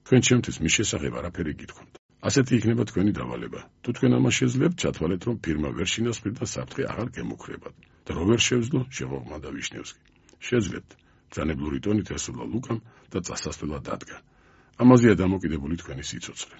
თქვენ ჩემთვის მის შესახებ არაფერი გითხოვთ. ასეთი იქნება თქვენი დავალება. თუ თქვენ ამას შეძლებთ, ჩათვალეთ, რომ ფირმა ვერ შინასწრებთ და საფრთხე აღარ გემუქრებათ. და რო ვერ შევძლო, შეღოღმადა ვიშნევსკი. შეძლებთ. ძანებლური ტონით ესულა ლუკამ და წასასვლელად დადგა. ამაზეა დამოკიდებული თქვენი სიცოცხლე.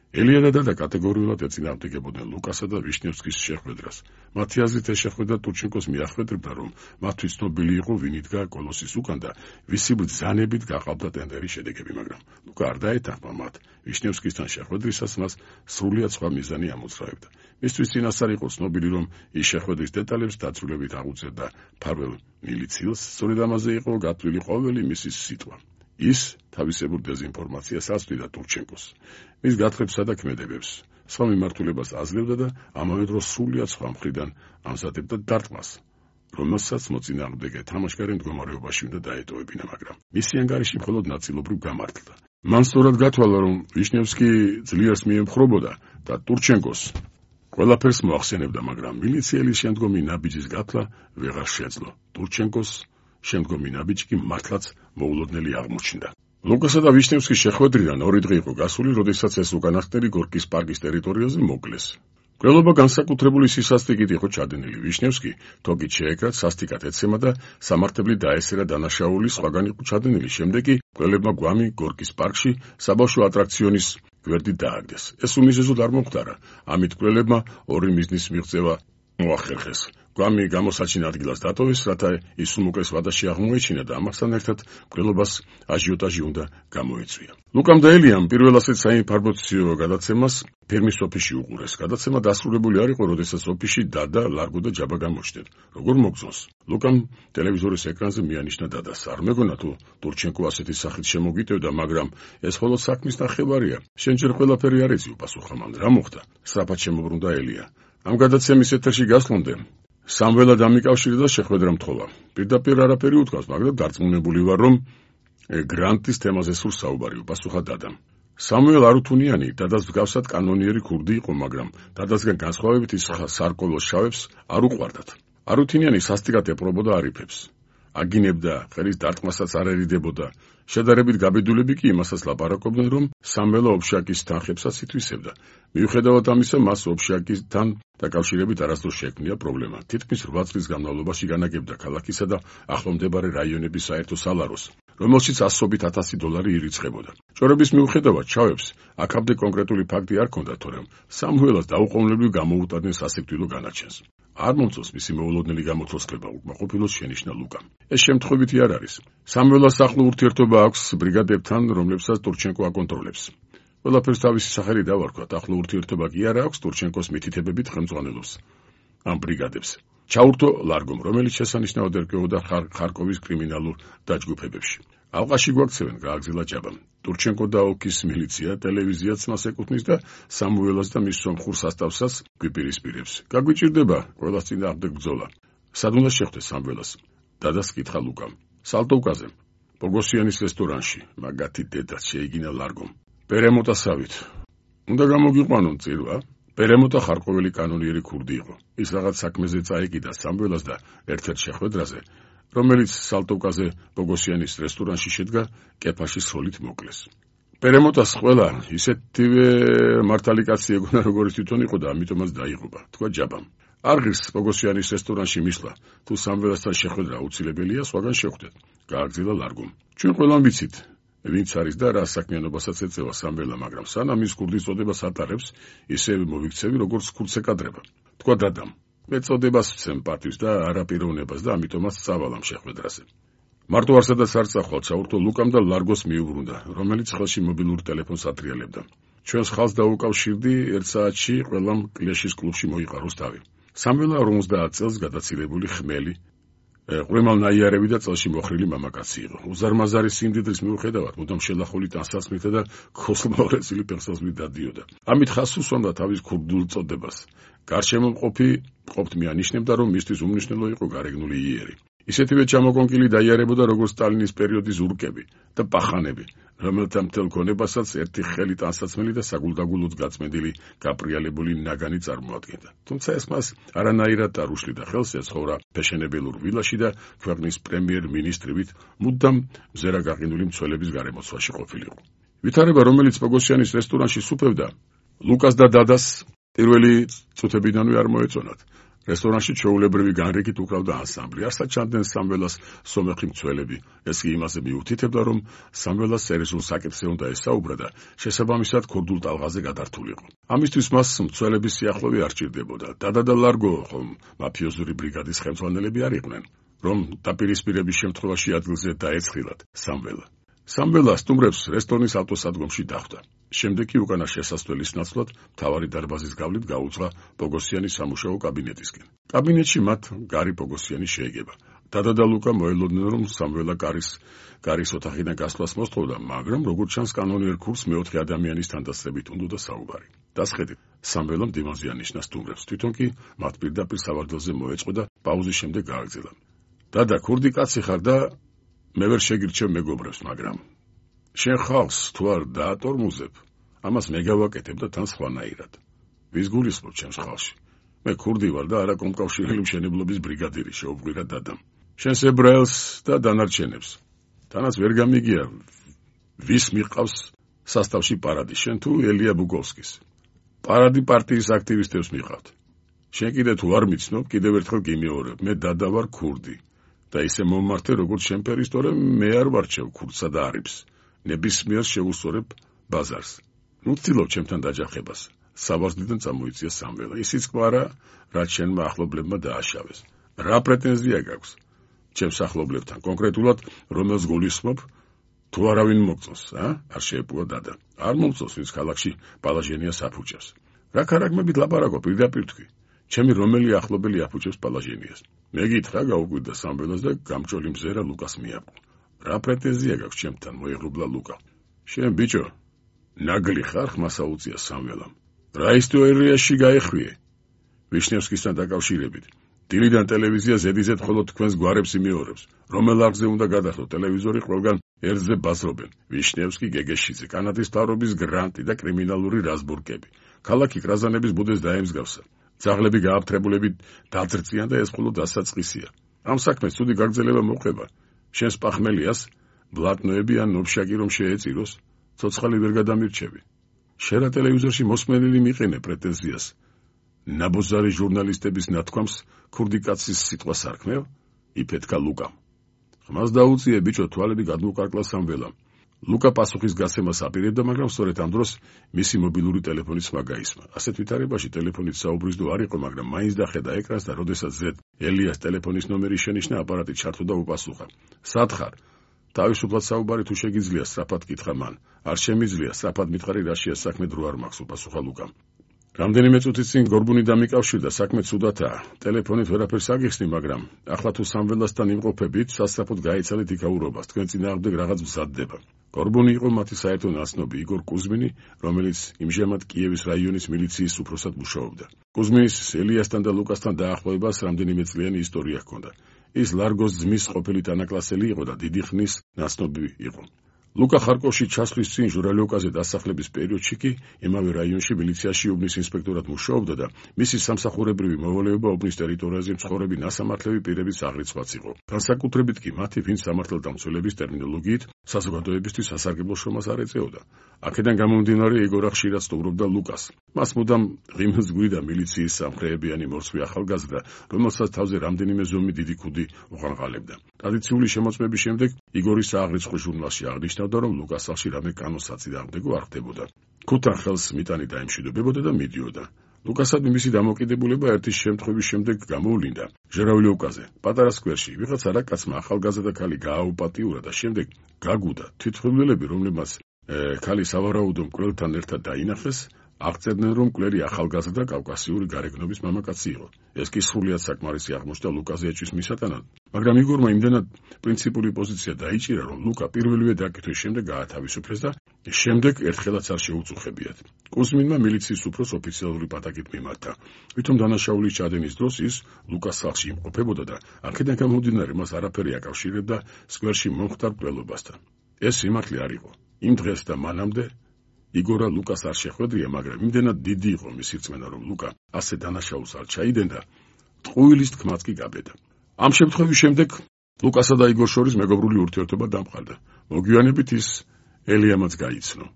ელია და დადა კატეგორიულად ეწინააღმდეგებოდნენ ლუკასა და ვიშნევსკის შეხვედრას. მათი აზრით ეს შეხვედრა ტურჩენკოს მიახვედრებდა, რომ მათთვის ცნობილი იყო ვინ იდგა კოლოსის უკან და ვისი ბრძანებით გაყავდა ტენდერის შედეგები, მაგრამ ლუკა არ დაეთანხმა მათ. ვიშნევსკისთან შეხვედრისას მას სრულიად სხვა მიზანი ამოძრავებდა. მისთვის წინასწარ იყო ცნობილი, რომ ის შეხვედრის დეტალებს დაწვრილებით აღუწერდა ფარველ მილიციელს, სწორედ ამაზე იყო გათვლილი ყოველი მისი სიტყვა. ის თავისებურ დეზინფორმაციას აწვდიდა ტურჩენკოს. მის გათხრებსა და ქმედებებს სხვა მიმართულებას აძლევდა და ამავე დროს სრულიად სხვა მხრიდან ამზადებდა დარტყმას, რომელსაც მოწინააღმდეგე თამაშგარე მდგომარეობაში უნდა დაეტოვებინა, მაგრამ მისი ანგარიში მხოლოდ ნაწილობრივ გამართლდა. მან სწორად გათვალა, რომ ვიშნევსკი ძლიერს მიემხრობოდა და ტურჩენკოს ყველაფერს მოახსენებდა, მაგრამ მილიციელის შემდგომი ნაბიჯის გათვლა ვეღარ შეძლო. ტურჩენკოს შემდგომი ნაბიჯი კი მართლაც მოულოდნელი აღმოჩნდა. ლუკასა და ვიშნევსკის შეხვედრიდან 2 დღე იყო გასული, როდესაც ეს უკანასკნელი გორკის პარკის ტერიტორიაზე მოკლეს. მკვლელობა განსაკუთრებული სისასტიკით იყო ჩადენილი. ვიშნევსკი თოგით შეეკრათ, სასტიკად ეცემა და სამართლები დაესერა დანაშაული, სხვაგან იყო ჩადენილი. შემდეგ კი მკვლელებმა გვამი გორკის პარკში საბავშვო ატრაქციონის გვერდით დააგდეს. ეს უმიზეზოდ არ მომხდარა. ამით მკვლელებმა 2 მიზნის მიღწევა მოახერხეს. გვამი გამოსაჩინ ადგილას დატოვეს, რათა ის უმოკლეს ვადაში აღმოეჩინა და ამასთან ერთად მკვლელობას აჟიოტაჟი უნდა გამოეწვია. ლუკამ და ელიამ პირველ ასეთ საინფორმაციო გადაცემას ფერმის ოფისში უყურეს. გადაცემა დასრულებული არ იყო, როდესაც ოფისში დადა, ლარგო და ჯაბა გამოჩნდნენ. როგორ მოგწონს? ლუკამ ტელევიზორის ეკრანზე მიანიშნა დადას. არ მეგონა თუ ტურჩენკო ასეთი სახით შემოგიტევდა, მაგრამ ეს მხოლოდ საქმის ნახევარია. შენ ჯერ ყველაფერი არ იცი, უპასუხა მან. რა მოხდა? სწრაფად შემოbrუნდა ელია. ამ გადაცემის ეთერში გასვლამდე სამველა დამიკავშირდა და შეხვედრა მთხოვა. პირდაპირ არაფერი უთქვას, მაგრამ დარწმუნებული ვარ, რომ გრანტის თემაზე სულ საუბარი, უპასუხა დადამ. სამუელ არუთუნიანი დადას მსგავსად კანონიერი ქურდი იყო, მაგრამ დადასგან განსხვავებით ის სარკოლოს შავებს არ უყვარდათ. არუთუნიანი სასტიკად ეპრობოდა არიფებს. აგინებდა, ხელის დარტყმასაც არ ერიდებოდა. შედარებით გაბედულები კი იმასაც ლაპარაკობდნენ, რომ სამველა ოფშაკის თანხებსაც ითვისებდა. მიუხედავად ამისა, მას ოფშაკისთან დაკავშირებით არასდროს შექმნია პრობლემა. თითქმის 8 წლის განმავლობაში განაგებდა ქალაქისა და ახლომდებარე რაიონების საერთო სალაროს, რომელშიც ასობით $1000 ირიცხებოდა. ჭორების მიუხედავად ჩავებს აქამდე კონკრეტული ფაქტი არ ჰქონდა, თორემ სამუელას დაუყოვნებლივ გამოუტანდნენ სასიკვდილო განაჩენს. არ მომწონს მისი მოულოდნელი გამოცოცხლება, უკმაყოფილოს შენიშნა ლუკამ. ეს შემთხვევითი არ არის. სამველას ახლო ურთიერთობა აქვს ბრიგადებთან, რომლებსაც ტურჩენკო აკონტროლებს. ყველაფერს თავისი სახელი დავარქვათ, ახლო ურთიერთობა კი არა აქვს ტურჩენკოს მითითებებით ხელმძღვანელობს ამ ბრიგადებს. ჩაურთო ლარგომ, რომელიც შესანიშნავად ერკვეოდა ხარკოვის კრიმინალურ დაჯგუფებებში. ალყაში გვაქცევენ, გააგრძელა ჯაბამ. ტურჩენკო და ოლქის მილიცია, ტელევიზიაც მას ეკუთვნის და სამუელას და მის სომხურ სასტავსაც გვიპირისპირებს. გაგვიჭირდება ყველას წინააღმდეგ ბრძოლა. სად უნდა შეხვდე სამველას? დადას კითხა ლუკამ. სალტოვკაზე, ბოგოსიანის რესტორანში, მაგათი დედაც შეიგინა ლარგომ. პერემოტასავით. უნდა გამოგიყვანონ წირვა. პერემოტა ხარკოველი კანონიერი ქურდი იყო. ის რაღაც საქმეზე წაეკიდა სამველას და ერთ-ერთ შეხვედრაზე, რომელიც სალტოვკაზე ბოგოსიანის რესტორანში შედგა, კეფაში სროლით მოკლეს. პერემოტას ყველა ისეთივე მართალი კაცი ეგონა, როგორც თვითონ იყო და ამიტომაც დაიღუპა, თქვა ჯაბამ. არ ღირს ბოგოსიანის რესტორანში მისვლა, თუ სამველასთან შეხვედრა აუცილებელია, სხვაგან შევხვდეთ, გააგრძელა ლარგომ. ჩვენ ყველამ ვიცით, ვინც არის და რა საქმიანობასაც ეწევა სამველა, მაგრამ სანამ ის ქურდის წოდებას ატარებს, ისევე მოვიქცევი, როგორც ქურდს ეკადრება. თქვა დადამ. მე წოდებას ვცემ პარტიის და არაპიროვნებას და ამიტომაც წავალამ შეხვედრაზე. მარტო არსადაც არ წახვალ, ჩაურთო ლუკამ და ლარგოს მიუბრუნდა, რომელიც ხელში მობილურ ტელეფონს ატრიალებდა. ჩვენს ხალხს დაუკავშირდი, 1 საათში ყველამ კლეშის კლუბში მოიყაროს თავი. სამველა 50 წელს გადაცილებული ხმელი, ყრემალნაიარები და წელში მოხრილი მამაკაცი იყო. უზარმაზარი სიმდიდრის მიუხედავად, მუდამ შელახული ტანსაცმლითა და ქოსლმოყრეცილი პერსონაჟით დადიოდა. ამით ხაზს უსვამდა თავის ქურდულ წოდებას. გარშემო ყოფთ მიანიშნებდა, რომ მისთვის უმნიშვნელო იყო გარეგნული იერი. ისეთივე ჩამოკონკილი დაიარებოდა, როგორც სტალინის პერიოდის ურკები და პახანები, რომელთა მთელ ქონებასაც ერთი ხელი ტანსაცმელი და საგულდაგულოდ გაწმენდილი გაპრიალებული ნაგანი წარმოადგენდა. თუმცა ეს მას არანაირად არ უშლიდა ხელს, ეცხოვრა ფეშენებელურ ვილაში და ქვეყნის პრემიერ-მინისტრივით მუდამ მზერა გაყინული მცველების გარემოცვაში ყოფილიყო. ვითარება, რომელიც პოგოსიანის რესტორანში სუფევდა, ლუკას და დადას პირველი წუთებიდანვე არ მოეწონათ. რესტორანში ჩვეულებრივი განრიგით უკრავდა ანსამბლი. არსად ჩანდნენ სამველას სომეხი მცველები. ეს კი იმაზე მიუთითებდა, რომ სამველას სერიოზულ საკითხზე უნდა ესაუბრა და შესაბამისად ქურდულ ტალღაზე გადართულიყო. ამისთვის მას მცველების სიახლოვე არ ჭირდებოდა. დადა და ლარგო ხომ მაფიოზური ბრიგადის ხელმძღვანელები არ იყვნენ, რომ დაპირისპირების შემთხვევაში ადგილზე დაეცხილათ სამველა. სამველა სტუმრებს რესტორნის ავტოსადგომში დახვდა. შემდეგ კი უკანა შესასვლელის ნაცვლად მთავარი დარბაზის გავლით გაუძღა პოგოსიანის სამუშაო კაბინეტისკენ. კაბინეტში მათ გარი პოგოსიანი შეეგება. დადა და ლუკა მოელოდნენ, რომ სამველა გარის ოთახიდან გასვლას მოსთხოვდა, მაგრამ როგორც ჩანს კანონიერ ქურს მეოთხე ადამიანის თანდასწრებით უნდოდა საუბარი. დასხედით, სამველამ დიმოზი ანიშნა სტუმრებს, თვითონ კი მათ პირდაპირ სავარდელზე მოეწყო და პაუზის შემდეგ გააგრძელა. დადა, ქურდი კაცი ხარ და მე ვერ შეგირჩევ მეგობრებს, მაგრამ შენ ხალხს თუ არ დაატორმუზებ, ამას მე გავაკეთებ და თან სხვანაირად. ვის გულისხმობ ჩემს ხალხში? მე ქურდი ვარ და არა კომკავშირელი მშენებლობის ბრიგადირი, შეუყვირა დადამ. შენს ებრაელს და დანარჩენებს. თანაც ვერ გამიგია, ვის მიყავს სასტავში პარადი, შენ თუ ელია ბუგოვსკის. პარადი პარტიის აქტივისტებს მიყავთ. შენ კიდე თუ არ მიცნობ, კიდევ ერთხელ გიმეორებ, მე დადა ვარ ქურდი. და ისე მომმართე, როგორც შენ ფერისტორე, მე არ ვარჩევ ქურდსა და არიბს. ნებისმიერ შეუსწორებ ბაზარს. ნუ ცდილობ ჩემთან დაჯახებას. საბარსდიდან წამოიწია სამველა. ისიც კვარა, რაც შენმა ახლობლებმა დააშავეს. რა პრეტენზია გაქვს ჩემს ახლობლებთან, კონკრეტულად რომელს გულისხმობ, თუ არავინ მოგწონს, არ შეეპუა დადა. არ მომწონს, ვინც ქალაქში პალაჟენია საფუჭებს. რა ქარაგმებით ლაპარაკობ, პირდაპირ თქვი. ჩემი რომელი ახლობელი აფუჭებს პალაჟენიას. მე გითხრა, გაუკვირდა სამველას და გამჭოლი მზერა ლუკას მიაბო. რა პრეტენზია გაქვს ჩემთან, მოიღრუბლა ლუკა. შენ ბიჭო, ნაგლი ხარ, ხმას აუწია სამველამ. რა ისტორიაში გაეხვიე? ვიშნევსკისთან დაკავშირებით. დილიდან ტელევიზია ზედიზედ მხოლოდ თქვენს გვარებს იმეორებს. რომელ არხზე უნდა გადახდო ტელევიზორი, ყველგან ერთზე ბაზრობენ. ვიშნევსკი, გეგეშიძე, კანადის მთავრობის გრანტი და კრიმინალური რაზბურკები. ქალაქი კრაზანების ბუდეს დაემსგავსა. ძაღლები გააფთრებულებით დაძრწიან და ეს მხოლოდ დასაწყისია. ამ საქმეს ცუდი გაგრძელება მოხდება. შენს პახმელიას ბლატნოები ან ნოფშაკი რომ შეეწიროს, ცოცხალი ვერ გადამირჩევი. შენ რა ტელევიზორში მოსმენელი მიყენე პრეტენზიას. ნაბოზარი ჟურნალისტების ნათქვამს ქურდი კაცის სიტყვა სარქმევ? იფეთქა ლუკამ. ხმას დაუწიე ბიჭო, თვალები გადმოუკარკლა სამველამ. ლუკა პასუხის გასცემას აპირებდა, მაგრამ სწორედ ამ დროს მისი მობილური ტელეფონის ხმა გაისმა. ასეთ ვითარებაში ტელეფონით საუბრის დრო არ იყო, მაგრამ მაინც დახედა ეკრანს და როდესაც ზედ ელიას ტელეფონის ნომერი შენიშნა, აპარატი ჩართო და უპასუხა. სად ხარ? თავისუფლად საუბარი თუ შეგიძლია, სწრაფად კითხა მან. არ შემიძლია, სწრაფად მითხარი, რაშია საქმე, დრო არ მაქვს, უპასუხა ლუკამ. რამდენიმე წუთით წინ გორბუნი დამიკავშირდა, საქმე ცუდათაა. ტელეფონით ვერაფერს აგიხსნი, მაგრამ ახლა თუ სამველასთან იმყოფებით, სასწრაფოდ გაიცალეთ იქაურობას, თქვენ წინააღმდეგ რაღაც მზადდება. გორბუნი იყო მათი საერთო ნაცნობი, იგორ კუზმინი, რომელიც იმჟამად კიევის რაიონის მილიციის უფროსად მუშაობდა. კუზმინის ელიასთან და ლუკასთან დაახლოებას რამდენიმე წლიანი ისტორია ჰქონდა. ის ლარგოს ძმის ყოფილი თანაკლასელი იყო და დიდი ხნის ნაცნობი იყო. ლუკა ხარკოვში ჩასვლის წინ ჟურალიოკაზე დასახლების პერიოდში კი იმავე რაიონში მილიციაში უბნის ინსპექტორად მუშაობდა და მისი სამსახურებრივი მოვალეობა უბნის ტერიტორიაზე მცხოვრები ნასამართლები პირების აღრიცხვაც იყო. განსაკუთრებით კი მათი, ვინც სამართალდამცველების ტერმინოლოგიით საზოგადოებისთვის სასარგებლო შრომას არ ეწეოდა. აქედან გამომდინარე, იგორა ხშირად სტუმრობდა ლუკას. მას მუდამ ღიმილს გვიდა მილიციის სამხრეებიანი მორცვი ახალგაზრდა, რომელსაც თავზე რამდენიმე ზომი დიდი ქუდი უყანყალებდა. ტრადიციული შემოწმების შემდეგ იგორის აღრიცხვის ჟურნალში აღნიშნავდა, რომ ლუკას სახლში რამე კანონსაწინააღმდეგო არ ხდებოდა. ქუთან ხელს მიტანი დაემშვიდობებოდა და მიდიოდა. ლუკასადმი მისი დამოკიდებულება ერთის შემთხვევის შემდეგ გამოვლინდა. ჟურავლიოვკაზე, პატარა სკვერში, ვიღაცა რა კაცმა ახალგაზრდა ქალი გააუპატიურა და შემდეგ გაგუდა. თვითმხილველები, რომლებმაც ქალი სავარაუდო მკვლელთან ერთად დაინახეს, აღწერდნენ, რომ მკვლელი ახალგაზრდა კავკასიური გარეგნობის მამაკაცი იყო. ეს კი სრულიად საკმარისი აღმოჩნდა ლუკაზე ეჭვის მისატანად, მაგრამ იგორმა იმდენად პრინციპული პოზიცია დაიჭირა, რომ ლუკა პირველივე დაკითხვის შემდეგ გაათავისუფლეს და შემდეგ ერთხელაც არ შეუწუხებიათ. კუზმინმა მილიციის უფროს ოფიციალური პატაკით მიმართა. ვითომ დანაშაულის ჩადენის დროს ის ლუკას სახლში იმყოფებოდა და აქედან გამომდინარე მას არაფერი აკავშირებდა სკვერში მომხდარ მკვლელობასთან. ეს სიმართლე არ იყო. იმ დღეს და მანამდე იგორა ლუკას არ შეხვედრია, მაგრამ იმდენად დიდი იყო მისი რწმენა, რომ ლუკა ასე დანაშაულს არ ჩაიდენდა, ტყუილის თქმაც კი გაბედა. ამ შემთხვევის შემდეგ ლუკასა და იგორ შორის მეგობრული ურთიერთობა დამყარდა. მოგვიანებით ის ელიამაც გაიცნო.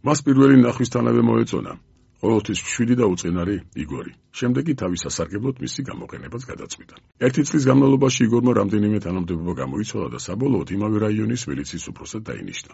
მას პირველი ნახვისთანავე მოეწონა. ყოველთვის 7 და უწყინარი იგორი. შემდეგ კი თავის სასარგებლოდ მისი გამოყენებაც გადაწყვიტა. 1 წლის განმავლობაში იგორმა რამდენიმე თანამდებობა გამოიცვალა და საბოლოოდ იმავე რაიონის მილიციის უფროსად დაინიშნა,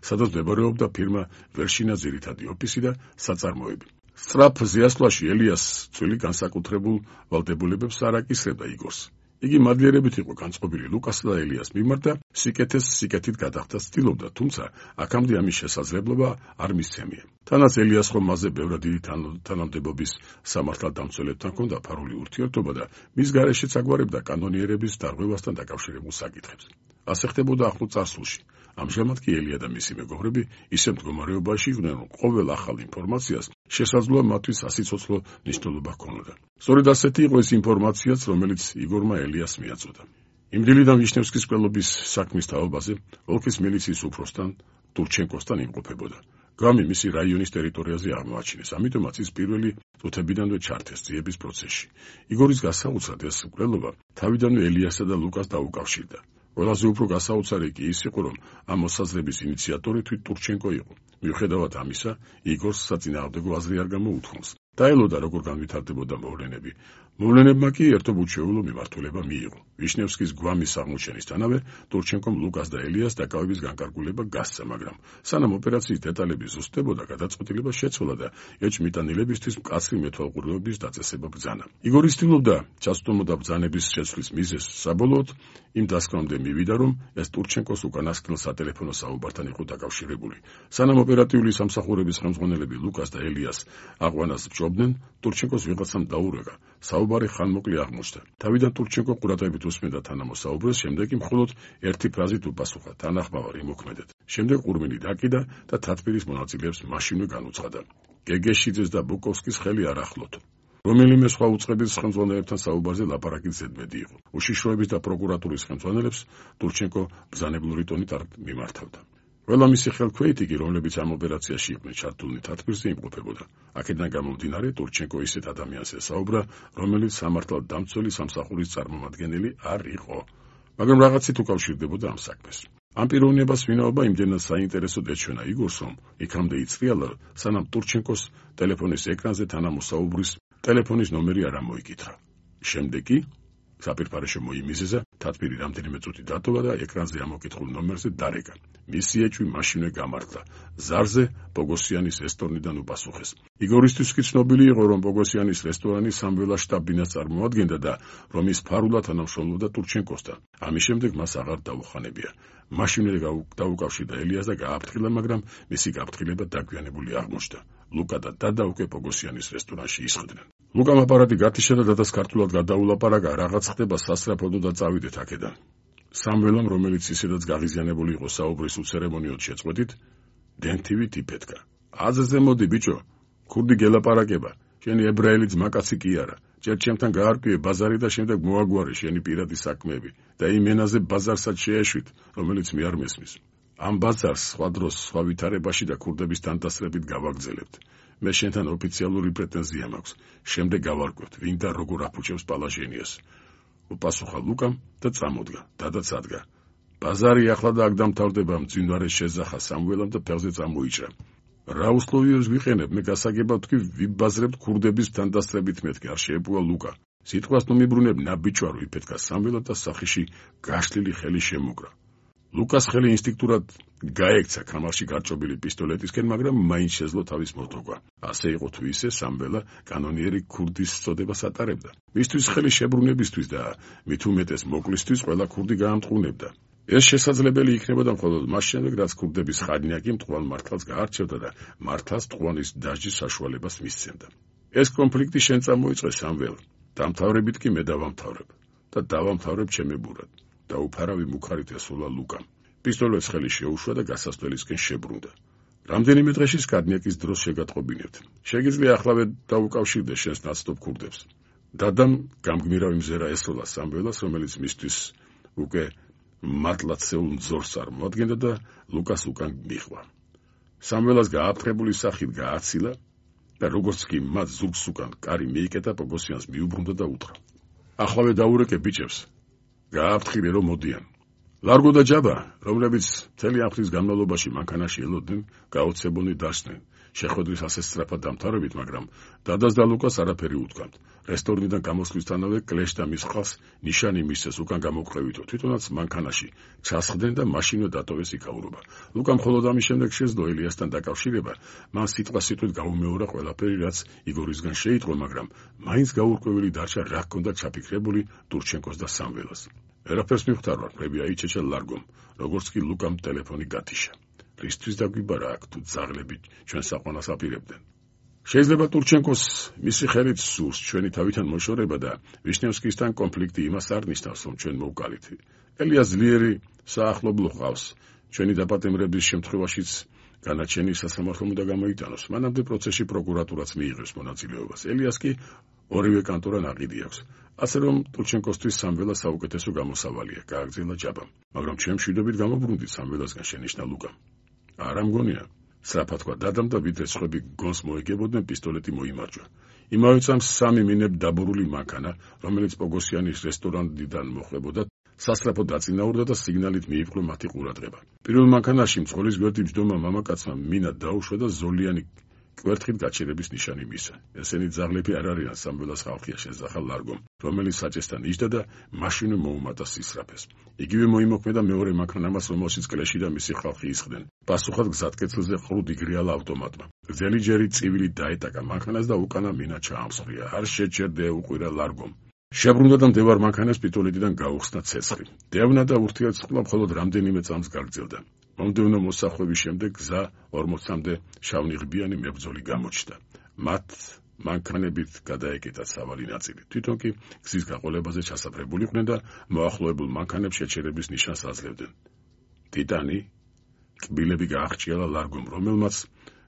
სადაც მდებარეობდა ფირმა ვერშინა ძირითადი ოფისი და საწარმოები. სწრაფ ზიასვლაში ელიას წვილი განსაკუთრებულ ვალდებულებებს არ აკისრებდა იგორს. იგი მადლიერებით იყო განწყობილი ლუკასა და ელიას მიმართ და სიკეთეს სიკეთით გადახდა ცდილობდა, თუმცა აქამდე ამის შესაძლებლობა არ მისცემია. თანაც ელიას ხომ მასზე ბევრად დიდი თანამდებობის სამართალდამცველებთან ჰქონდა ფარული ურთიერთობა და მის გარეშეც აგვარებდა კანონიერების დარღვევასთან დაკავშირებულ საკითხებს. ასე ხდებოდა ახლო წარსულში. ამჟამად კი ელია და მისი მეგობრები ისე მდგომარეობაში იყვნენ, რომ ყოველ ახალ ინფორმაციას შესაძლოა მათთვის სასიცოცხლო მნიშვნელობა ჰქონოდა. სწორედ ასეთი იყო ეს ინფორმაციაც, რომელიც იგორმა ელიას მიაწოდა. იმდრილიდან ვიშნევსკის მკვლელობის საქმის თაობაზე ოლქის მილიციის უფროსთან ტურჩენკოსთან იმყოფებოდა. გამი მისი რაიონის ტერიტორიაზე აღმოაჩინეს, ამიტომაც ის პირველი წუთებიდანვე ჩართეს ძიების პროცესში. იგორის გასაოცრად ეს მკვლელობა თავიდანვე ელიასა და ლუკას დაუკავშირდა. ყველაზე უფრო გასაოცარი კი ის იყო, რომ ამ მოსაზრების ინიციატორი თვით ტურჩენკო იყო. მიუხედავად ამისა, იგორს საწინააღმდეგო აზრი არ გამოუთხოვს. დაელოდა როგორ განვითარდებოდა მოვლენები. მოვლენებმა კი ერთობუჩეულო მიმართულება მიიღო. ვიშნევსკის გვამის აღმოჩენისთანავე ტურჩენკომ ლუკას და ელიას დაკავების განკარგულება გასცა, მაგრამ სანამ ოპერაციის დეტალები ზუსტდებოდა, გადაწყვეტილება შეცვალა და ეჭვმიტანილებისთვის მკაცრი მეთვალყურეობის დაწესება ბრძანა. იგორი ცდილობდა ჩაცდომოდა ბრძანების შეცვლის მიზეზს, საბოლოოდ იმ დასკვნამდე მივიდა, რომ ეს ტურჩენკოს უკანასკნელ სატელეფონო საუბართან იყო დაკავშირებული. სანამ ოპერატიული სამსახურების ხელმძღვანელები ლუკას და ელიას აყვანას ბჭობდნენ, ტურჩენკოს ვიღაცამ დაურეკა. საუბარი ხანმოკლე აღმოჩნდა. თავიდან ტურჩენკო ყურადღებით უსმენდა თანამოსაუბრეს, შემდეგ კი მხოლოდ ერთი ფრაზით უპასუხა: თანახმავარ იმოქმედეთ. შემდეგ ყურმილი დაკიდა და თათბირის მონაწილეებს მაშინვე განუცხადა. გეგეშიძეს და ბუკოვსკის ხელი არ ახლოთ. რომელიმე სხვა უწყების ხელმძღვანელებთან საუბარზე ლაპარაკი ზედმეტი იყო. უშიშროების და პროკურატურის ხელმძღვანელებს ტურჩენკო ბრძანებლური ტონით არ მიმართავდა. ყველა მისი ხელქვეითი კი, რომლებიც ამ ოპერაციაში იყვნენ ჩართულნი, თათბირზე იმყოფებოდა. აქედან გამომდინარე, ტურჩენკო ისეთ ადამიანს ესაუბრა, რომელიც სამართალდამცველი სამსახურის წარმომადგენელი არ იყო, მაგრამ რაღაცით უკავშირდებოდა ამ საქმეს. ამ პიროვნებას ვინაობა იმდენად საინტერესოდ ეჩვენა იგორს, რომ იქამდე იწრიალა, სანამ ტურჩენკოს ტელეფონის ეკრანზე თანამოსაუბრის ტელეფონის ნომერი არ ამოიკითხა. შემდეგ კი საპირფარეშო მოიმიზეზა, თათბირი რამდენიმე წუთი დატოვა და ეკრანზე ამოკითხულ ნომერზე დარეკა. მისი ეჭვი მაშინვე გამართლა. ზარზე ბოგოსიანის რესტორნიდან უპასუხეს. იგორისთვის კი ცნობილი იყო, რომ ბოგოსიანის რესტორანი სამველა შტაბ-ბინას წარმოადგენდა და რომ ის ფარულად თანამშრომლობდა ტურჩენკოსთან. ამის შემდეგ მას აღარ დაუხანებია. მაშინვე დაუკავშირდა ელიას და გააფრთხილა, მაგრამ მისი გაფრთხილება დაგვიანებული აღმოჩნდა. ლუკა და დადა უკვე ბოგოსიანის რესტორანში ისხდნენ. ლუკამ აპარატი გათიშა და დადას ქართულად გადაულაპარაკა, რაღაც ხდება სასწრაფოდო და წავიდეთ აქედან. სამველამ, რომელიც ისედაც გაღიზიანებული იყო საუბრის უცერემონიოდ შეწყვეტით, დენთივით იფეთქა. აზზე მოდი ბიჭო, ქურდი გელაპარაკება, შენი ებრაელი ძმაკაცი კი არა. ჯერ ჩემთან გაარკვიე ბაზარი და შემდეგ მოაგვარე შენი პირადი საქმეები და იმ ენაზე ბაზარსაც შეეშვით, რომელიც მე არ მესმის. ამ ბაზარს სხვა დროს, სხვა ვითარებაში და ქურდების თანდასწრებით გავაგრძელებთ. მე შენთან ოფიციალური პრეტენზია მაქვს. შემდეგ გავარკვევთ, ვინ და როგორ აფუჭებს პალაჟენიას. უპასუხა ლუკამ და წამოდგა. დადაც ადგა. ბაზარი ახლა და აქ დამთავრდება, მძინვარე შეზახა სამველამ და ფეხზე წამოიჭრა. რა უსლოვიებს ვიყენებ, მე გასაგებად თქვი, ვიბაზრებთ ქურდების თანდასწრებით მეთქი, არ შეეპუა ლუკა. სიტყვას ნუ მიბრუნებ, ნაბიჯვარო, იფეთქა სამველად და სახიში გაშლილი ხელი შემოგრა. ლუკას ხელი ინსტინქტურად გაექცა კამარში გარჭობილი პისტოლეტისკენ, მაგრამ მაინც შეძლო თავის მოტოვა. ასე იყო თუ ისე, სამველა კანონიერი ქურდის წოდებას ატარებდა. მისთვის ხელი შებრუნებისთვის და მით უმეტეს მოკლისთვის ყველა ქურდი გაამტყუნებდა. ეს შესაძლებელი იქნებოდა მხოლოდ მას შემდეგ, რაც ქურდების ხანიაკი მტყუარ მართალს გაარჩევდა და მართალს მტყუარის დასჯის საშუალებას მისცემდა. ეს კონფლიქტი შენ წამოიწყე, სამველა. დამთავრებით კი მე დავამთავრებ და დავამთავრებ ჩემებურად. დაუფარავი მუხარით ესულა ლუკამ. პისტოლეტს ხელი შეუშვა და გასასვლელისკენ შებრუნდა. რამდენიმე დღეში სკადნიაკის დროს შეგატყობინებთ. შეგიძლია ახლავე დაუკავშირდე შენს ნაცნობ ქურდებს. დადამ გამგმირავი მზერა ესროლა სამველას, რომელიც მისთვის უკვე მართლაცეულ მძორს წარმოადგენდა და ლუკას უკან მიხვა. სამველას გააფრთხებული სახით გააცილა და როგორც კი მათ ზურგს უკან კარი მიიკეტა, ბოგოსიანს მიუბრუნდა და უთხრა: ახლავე დაურეკე ბიჭებს. გააფრთხილე რომ მოდიან. ლარგო და ჯაბა, რომლებიც მთელი ამ ხნის განმავლობაში მანქანაში ელოდნენ, გაოცებულნი დასდნენ. შეხვედრის ასე სწრაფად დამთავრებით, მაგრამ დადას და ლუკას არაფერი უთქვამთ. რესტორნიდან გამოსვლისთანავე კლეშ და მის ხალხს ნიშანი მისცეს უკან გამოკვლევითო, თვითონაც მანქანაში ჩასხდნენ და მაშინვე დატოვეს იქაურობა. ლუკამ მხოლოდ ამის შემდეგ შეძლო ელიასთან დაკავშირება, მან სიტყვასიტყვით გაუმეორა ყველაფერი, რაც იგორისგან შეიტყო, მაგრამ მაინც გაურკვეველი დარჩა რა ჰქონდა ჩაფიქრებული ტურჩენკოს და სამველას. ვერაფერს მიხვდარვარ, ფრები აიჩეჩა ლარგომ, როგორც კი ლუკამ ტელეფონი გათიშა. რისთვის დაგვიბარა აქ თუ ძაღლები ჩვენ საყვანას აპირებდნენ. შეიძლება ტურჩენკოს მისი ხელით სურს ჩვენი თავიდან მოშორება და ვიშნევსკისთან კონფლიქტი იმას არ ნიშნავს, რომ ჩვენ მოვკალით. ელიას ძლიერი საახლობლო ყავს. ჩვენი დაპატიმრების შემთხვევაშიც განაჩენი სასამართლომ უნდა გამოიტანოს. მანამდე პროცესში პროკურატურაც მიიღებს მონაწილეობას. ელიას კი ორივე კანტორა ნაყიდი აქვს. ასე რომ ტურჩენკოსთვის სამველა საუკეთესო გამოსავალია, გააგრძელა ჯაბამ. მაგრამ ჩვენ მშვიდობით გამობრუნდით სამველასგან, შენიშნა ლუკამ. არა მგონია. სწრაფად თქვა დადამ და ვიდრე სხვები გონს მოეგებოდნენ, პისტოლეტი მოიმარჯვა. იმავე წამს სამი მინებ დაბურული მანქანა, რომელიც პოგოსიანის რესტორნიდან მოხვდებოდა, სასწრაფო დაწინაურდა და სიგნალით მიიპყრო მათი ყურადღება. პირველ მანქანაში მძღოლის გვერდი ჯდომა მამაკაცმა მინა დაუშვა და ზოლიანი კვერთხით გაჩერების ნიშანი მისცა. ესენი ძაღლები არ არიან, სამველას ხალხია, შეძახა ლარგომ, რომელიც საჭესთან იჯდა და მაშინვე მოუმატა სისწრაფეს. იგივე მოიმოქმედა მეორე მანქანამაც, რომელშიც კლეში და მისი ხალხი ისხდნენ. პასუხად გზატკეცილზე ყრუ იგრიალა ავტომატმა. გრძელი ჯერი წივილი დაეტაკა მანქანას და უკანა მინა ჩაამსხვრია. არ შეჭერდე, უყვირა ლარგომ. შებრუნდა და მდევარ მანქანას პისტოლეტიდან გაუხსნა ცეცხლი. დევნა და ურთიერთწყობა მხოლოდ რამდენიმე წამს გაგრძელდა. მომდევნო მოსახვევის შემდეგ გზა 40-მდე შავნიღბიანი მებრძოლი გამოჩნდა. მათ მანქანებით გადაეკეტათ სავალი ნაწილი. თვითონ კი გზის გაყოლებაზე ჩასაფრებულიყვნენ და მოახლოებულ მანქანებს შეჩერების ნიშანს აძლევდნენ. ტიტანი კბილები გააღჭიალა ლარგომ, რომელმაც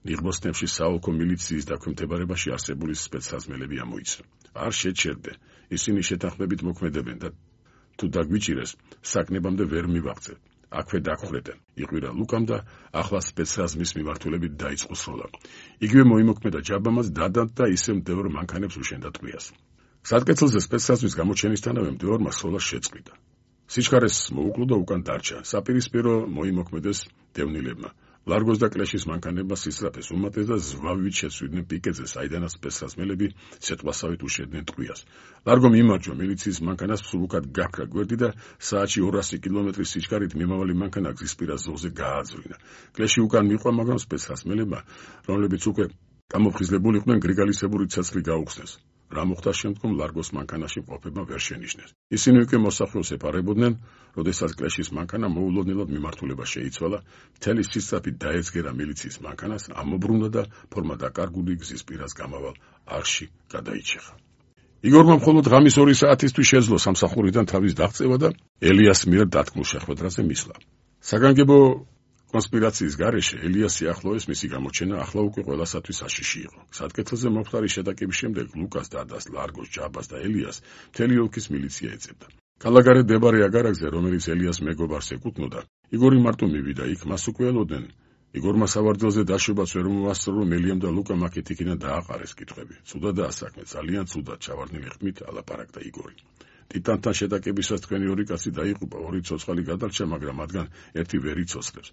ნიღბოსნებში საოლქო მილიციის დაქვემდებარებაში არსებული სპეცსაზმელები ამოიცნო. არ შეჩერდე, ისინი შეთანხმებით მოქმედებენ და თუ დაგვიჭირეს, საკნებამდე ვერ მივაღწევთ. აქვე დაგხვდეთ, იყვირა ლუკამ და ახლა სპეცსაზმის მიმართულებით დაიწყო სროლა. იგივე მოიმოქმედა ჯაბამაც, დადად და ისე მდევარ მანქანებს უშენდა ტყვიას. გზატკეცილზე სპეცსაზმის გამოჩენისთანავე მდევარმა სროლა შეწყვიტა. სიჩქარეს მოუკლო და უკან დარჩა. საპირისპირო მოიმოქმედეს დევნილებმა. ლარგოს და კლეშის მანქანებმა სისწრაფეს უმატეს და ზვავით შეცვლიდნენ პიკეზე, საიდანაც სპეცსაზმელები სეტყვასავით უშენდნენ ტყვიას. ლარგომ იმარჯვა მილიციის მანქანას, სულუკად გაქრა გვერდი და საათში 200 კილომეტრის სიჩქარით მიმავალი მანქანა გზისპირა ზოლზე გააძვლინა. კლეში უკან მიყვა, მაგრამ სპეცსაზმელებმა, რომლებიც უკვე გამოფხიზლებულიყვნენ, გრიგალისებური ცეცხლი გაუხსნეს. რა მოხდა შემდგომ ლარგოს მანქანაში მყოფებმა ვერ შენიშნეს. ისინი უკვე მოსახლეობას ეპარებოდნენ, როდესაც კლეშის მანქანა მოულოდნელად მიმართულება შეიცვალა, მთელი სისწრაფით დაეცგერა მილიციის მანქანას, ამობრუნდა და ფორმა დაკარგული გზის პირას გამავალ არხში გადაიჩეხა. იგორმა მხოლოდ ღამის 2 საათისთვის შეძლო სამსახურიდან თავის დაღწევა და ელიას მიერ დათქმულ შეხვედრაზე მისვლა. საგანგებო კონსპირაციის გარეშე ელიას სიახლოვეს მისი გამოჩენა ახლა უკვე ყველასათვის აშიში იყო. გზატკეცილზე მომხდარი შეტაკების შემდეგ ლუკას, დადას, ლარგოს, ჯაბას და ელიას მთელი ოლქის მილიცია ეძებდა. ქალაქგარეთ მდებარე აგარაკზე, რომელიც ელიას მეგობარს ეკუთვნოდა, იგორი მარტო მივიდა იქ, მას უკვე ელოდნენ. იგორმა სავარძელზე დაშვებას ვერ მოასწრო, რომ ელიამ და ლუკამ აქეთ იქიდან დააყარეს კითხვები. ცუდადაა საქმე, ძალიან ცუდად, ჩავარდნილი ხმით ალაპარაკდა იგორი. ტიტანთან შეტაკებისას თქვენი ორი კაცი დაიღუპა, 2 ცოცხალი გადარჩა, მაგრამ მათგან ერთი ვერ იცოცხლებს.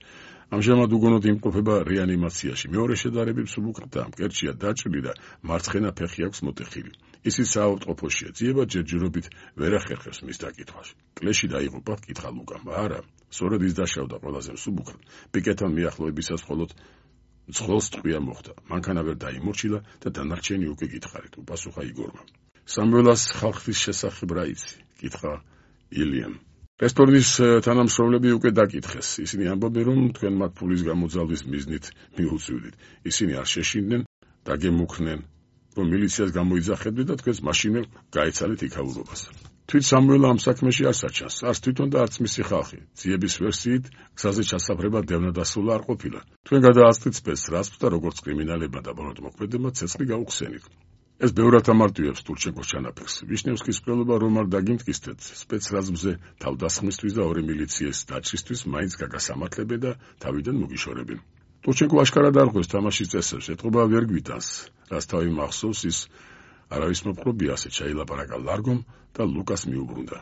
ამჟამად უგონოდ იმყოფება რეანიმაციაში. მეორე შედარებით მსუბუქია, მკერჩია დაჭრილი და მარცხენა ფეხი აქვს მოტეხილი. ისიც საავადმყოფოშია, ძიება ჯერჯერობით ვერ ახერხებს მის დაკითხვაში. კლეში დაიღუპა, კითხა ლუკამ. არა, სწორედ ის დაშავდა ყველაზე მსუბუქად. პიკეტთან მიახლოებისას მხოლოდ მძღოლს ტყვია მოხდა. მანქანა ვერ დაიმორჩილა და დანარჩენი უკვე გითხარით, უპასუხა იგორმა. სამველას ხალხის შესახებ რა იცი? კითხა ილიამ. რესტორნის თანამშრომლები უკვე დაკითხეს. ისინი ამბობენ, რომ თქვენ მათ ფულის გამოძალვის მიზნით მიუწვდით. ისინი არ შეშინდნენ, დაგემუქრნენ, რომ მილიციას გამოიძახებდნენ და თქვენს მაშინვე გაეცალეთ იქაურობას. თვით სამველა ამ საქმეში არ საჩანს, არც თვითონ და არც მისი ხალხი. ძიების ვერსიით, გზაზე ჩასაფრება დევნადასულა არ ყოფილა. თქვენ გადაასწრით სპეცსაზმს და როგორც კრიმინალებმა და ბოლოდ მოქმედებმა ცეცხლი გაუხსენით. ეს ბევრად ამარტივებს ტურჩენკოს ჩანაფერს. ვიშნევსკის მკვლელობა რომ არ დაგიმტკიცდეთ, სპეცსაზმზე თავდასხმისთვის და 2 მილიციის დაჭრისთვის მაინც გაგასამართლებენ და თავიდან მოგიშორებენ. ტურჩენკო აშკარად არ ხვდეს თამაშის წესებს, ეთყობა ვერ გვიტანს, რაც თავი მახსოვს ის არავის მოპყრობია, ასე ჩაილაპარაკა ლარგომ და ლუკას მიუბრუნდა.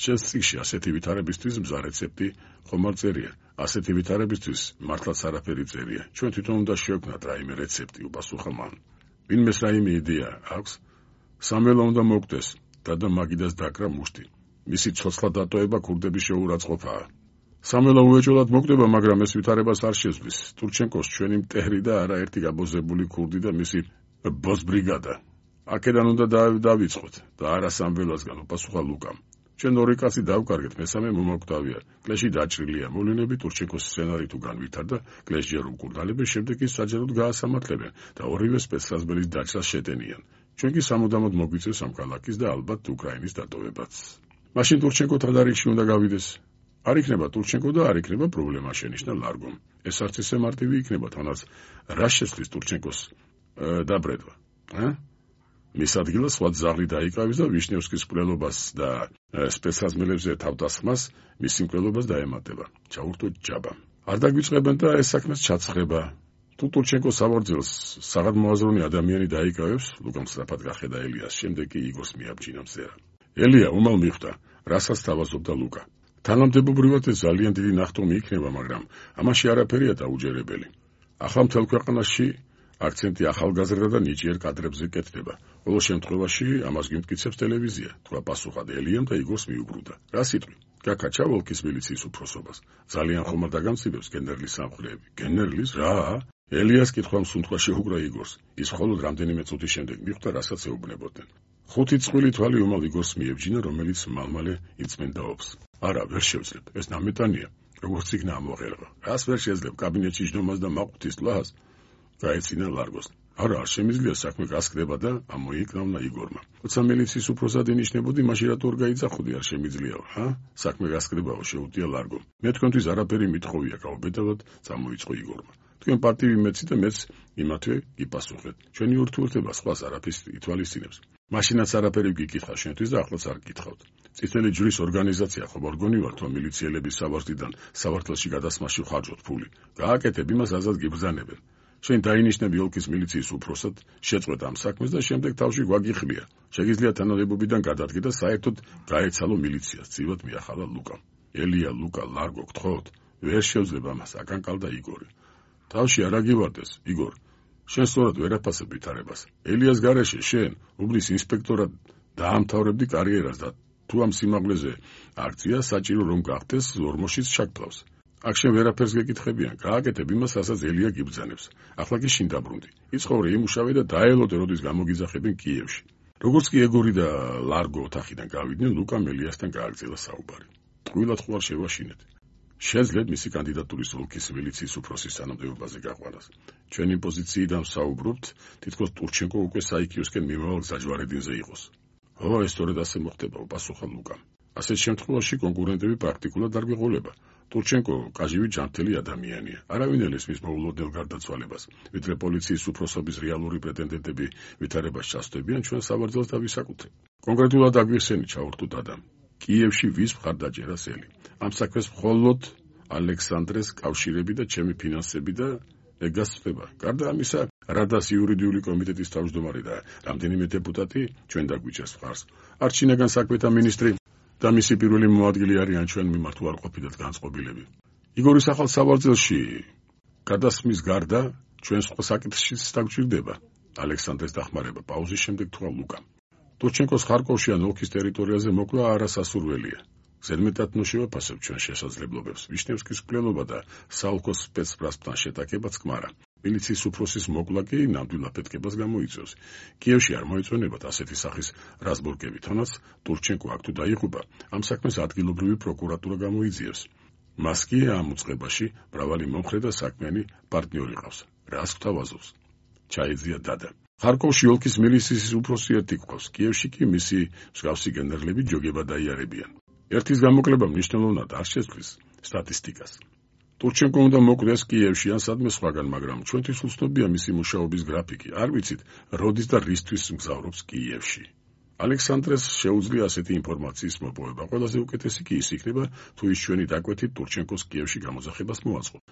შენს წიგნში ასეთი ვითარებისთვის მზა რეცეპტი ხომ არ წერია. ასეთი ვითარებისთვის მართლაც არაფერი წერია. ჩვენ თვითონ უნდა შევქმნათ რაიმე რეცეპტი, უპასუხა მან. ვინმეს რაიმე იდეა აქვს? სამველა უნდა მოგდეს, და მაგიდას დაკრა მუშტი. მისი ცოცხლა დატოვება ქურდების შეურაცხყოფაა. სამველა უეჭველად მოგდება, მაგრამ ეს ვითარებას არ შეძლებს. ტურჩენკოს ჩვენი მტერი და არაერთი გაბოზებული ქურდი და მისი ბოსბრიგადა. აქედან უნდა დავიწყოთ და არა სამველასგან, უპასუხა ლუკამ. ჩვენ ორი კაცი დავკარგეთ, მესამე მომაკვდავია. კლეში დაჭრილია. მოვლენები ტურჩენკოს სცენარი თუ განვითარდა, კლეში ჯერ უკურდალებს, შემდეგ ის საჯაროდ გაასამართლებენ და ორივე სპეცსაზღვრების დაჭრას შეტენიან. ჩვენ კი სამუდამოდ მოგვიწევს ამ ქალაქის და ალბათ უკრაინის დატოვებაც. მაშინ ტურჩენკო თანდარიგში უნდა გავიდეს. არ იქნება ტურჩენკო და არ იქნება პრობლემა, შენიშნა ლარგომ. ეს არც ისე მარტივი იქნება, თანაც რა შეცვლის ტურჩენკოს დაბრედვა? მის ადგილას სხვა ძაღლი დაიკავის და ვიშნევსკის მკვლელობას და სპეცსაზღვრებზე თავდასხმას მისი მკვლელობას დაემატება. ჩაურთო ჯაბა. არ დაგვიწყებენ და ეს საქმეც ჩაცხება. თუ ტურჩენკოს საბორძელს საღად მოაზროვნე ადამიანი დაიკავებს, ლუკამ სწრაფად გახედა ელიას, შემდეგ კი იგორს მიაბჯინა მზერა. ელია უმალ მიხვდა, რასაც თავაზობდა ლუკა. თანამდებობრივად ეს ძალიან დიდი ნახტომი იქნება, მაგრამ ამაში არაფერია დაუჯერებელი. ახლა მთელ ქვეყანაში აქცენტი ახალგაზრდა და ნიჭიერ კადრებზე კეთდება. ყოველ შემთხვევაში ამას გიმტკიცებს ტელევიზია, თქვა პასუხად ელიამ და იგორს მიუბრუნდა. რა სიტყვი? გაკაჩა ოლქის მილიციის უფროსობას. ძალიან ხომ არ დაგამცირებს გენერლის სამხლეები. გენერლის რა? ელიას კითხვა მსუნთქვა შეუგრა იგორს. ის მხოლოდ რამდენიმე წუთის შემდეგ მიხვდა, რასაც ეუბნებოდნენ. 5 წყვილი თვალი უმალ იგორს მიებჯინა, რომელიც მალმალე იწმენდა ოფს. არა, ვერ შევძლებ. ეს ნამეტანია. როგორც იქნა ამოღერება. რას ვერ შეძლებ კაბინეტში ჯდომას და მაყუთის ლას? გაეცინა ლარგოს. არა, არ შემიძლია საქმე გასკდება და ამოიკრავნა იგორმა. როცა მილიციის უფროსად ინიშნებოდი, მაშინ რატო არ გაიძახოდი, არ შემიძლიაო, საქმე გასკდებაო, შეუტია ლარგომ. მე თქვენთვის არაფერი მithოვია, გაუბედავად წამოიწყო იგორმა. თქვენ პარტივი მეცი და მეც იმათვე გიპასუხეთ. ჩვენი ურთიერთობა სხვას არაფერს ითვალისწინებს. მაშინაც არაფერი გიკითხა შენთვის და ახლაც არ გკითხავთ. წითელი ჯვრის ორგანიზაცია ხომ არ გონივართ, რომ მილიციელების სავარდიდან სავართელში გადასმაში ხარჯოთ ფული. გააკეთებ, იმას აზად გიბრძანებენ. შენ დაინიშნები ოლქის მილიციის უფროსად, შეწყვეტ ამ საქმეს და შემდეგ თავში გვაგიხლია. შეგიძლია თანამდებობიდან გადადგე და საერთოდ გაეცალო მილიციას, ცივად მიახალა ლუკამ. ელია, ლუკა, ლარგო, გთხოვთ, ვერ შევძლებ ამას, აკანკალდა იგორი. თავში არ აგივარდეს, იგორ. შენ სწორად ვერ აფასებ ვითარებას. ელიას გარეშე შენ, უბნის ინსპექტორად დაამთავრებდი კარიერას და თუ ამ სიმაღლეზე აქცია საჭირო რომ გახდეს, ორმოშიც ჩაგფლავს. აქ შენ ვერაფერს გეკითხებიან, გააკეთებ იმას, რასაც ელია გიბრძანებს. ახლა კი შინ დაბრუნდი. იცხოვრე, იმუშავე და დაელოდე, როდის გამოგიძახებენ კიევში. როგორც კი ეგორი და ლარგო ოთახიდან გავიდნენ, ლუკამ ელიასთან გააგრძელა საუბარი. ტყუილად ხوار შევაშინეთ. შეძლებ მისი კანდიდატურის ოლქის მილიციის უფროსის თანამდებობაზე გაყვანას. ჩვენი პოზიციიდან საუბრობთ, თითქოს ტურჩენკო უკვე საიქიოსკენ მიმავალ გზაჯვარედინზე იყოს. ეს სწორედ ასე მოხდება, უპასუხა ლუკამ. ასეთ შემთხვევაში კონკურენტები პრაქტიკულად არ გვეღოლება. ტურჩენკო კაჟივი ჯანმრთელი ადამიანია. არავინ ელეს მის მოულოდნელ გარდაცვალებას, ვიდრე პოლიციის უფროსობის რეალური პრეტენდენტები ვითარებას ჩასწვდებიან ჩვენ სავარძელს და ვისაკუთრებთ. კონკრეტულად აგვიხსენი, ჩაურთო დადამ. კიევში ვის მხარდაჭერას ელი. ამ საქმეს მხოლოდ ალექსანდრეს კავშირები და ჩემი ფინანსები და ეგასწრება. გარდა ამისა, რადას იურიდიული კომიტეტის თავმჯდომარე და რამდენიმე დეპუტატი ჩვენ დაგვიჭერს მხარს. არჩინაგან საქმეთა მინისტრი და მისი პირველი მოადგილე არიან ჩვენ მიმართ უარყოფითად განწყობილები. იგორის ახალ სავარძელში გადასმის გარდა ჩვენ სხვა საკითხშიც დაგვჭირდება. ალექსანდრეს დახმარება პაუზის შემდეგ თქვა ლუკამ. ტურჩენკოს ხარკოვში ან ოლქის ტერიტორიაზე მოკლა არასასურველია. ზედმეტად ნუშევაფასებ ჩვენ შესაძლებლობებს. ვიშნევსკის მკვლელობა და საოლქოს სპეცპრასთან შეტაკებაც კმარა. მილიციის უფროსის მოკლა კი ნამდვილ აფეთქებას გამოიწვევს. კიევში არ მოეწონებათ ასეთი სახის რაზბორკები, თუნდაც ტურჩენკო აქ თუ დაიღუპა, ამ საქმეს ადგილობრივი პროკურატურა გამოიძიებს. მას კი ამ უწყებაში მრავალი მომხრე და საქმიანი პარტნიორი ყავს. რას გვთავაზობს? ჩაეძია დადა. ხარკოვში ოლქის მილიციის უფროსი ერთი გვყავს, კიევში კი მისი მსგავსი გენერლები ჯოგება დაიარებიან. ერთის გამოკლება მნიშვნელოვნად არ შეცვლის სტატისტიკას. ტურჩენკო უნდა მოკვდეს კიევში ან სადმე სხვაგან, მაგრამ ჩვენთვის უცნობია მისი მუშაობის გრაფიკი. არ ვიცით, როდის და რისთვის მგზავრობს კიევში. ალექსანდრეს შეუძლია ასეთი ინფორმაციის მოპოვება. ყველაზე უკეთესი კი ის იქნება, თუ ის ჩვენი დაკვეთით ტურჩენკოს კიევში გამოძახებას მოაწყობს.